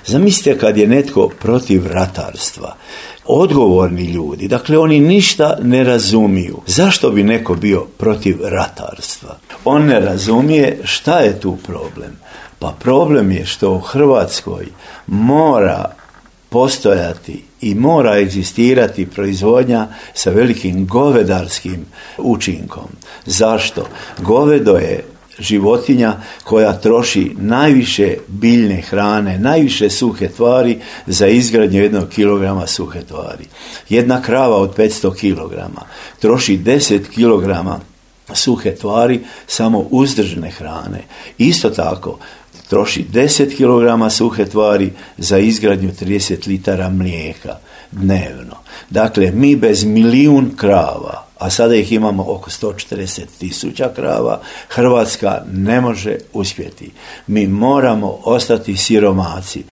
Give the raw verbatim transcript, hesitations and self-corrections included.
Zamislite kad je netko protiv ratarstva. Odgovorni ljudi, dakle oni ništa ne razumiju. Zašto bi neko bio protiv ratarstva? On ne razumije šta je tu problem. Pa problem je što u Hrvatskoj mora postojati i mora egzistirati proizvodnja sa velikim govedarskim učinkom. Zašto? Govedo je životinja koja troši najviše biljne hrane, najviše suhe tvari za izgradnju jednog kilograma suhe tvari. Jedna krava od petsto kilograma troši deset kilograma suhe tvari samo uzdržne hrane. Isto tako troši deset kilograma suhe tvari za izgradnju trideset litara mlijeka dnevno. Dakle, mi bez milijun krava, a sada ih imamo oko sto četrdeset tisuća krava, Hrvatska ne može uspjeti. Mi moramo ostati siromaci.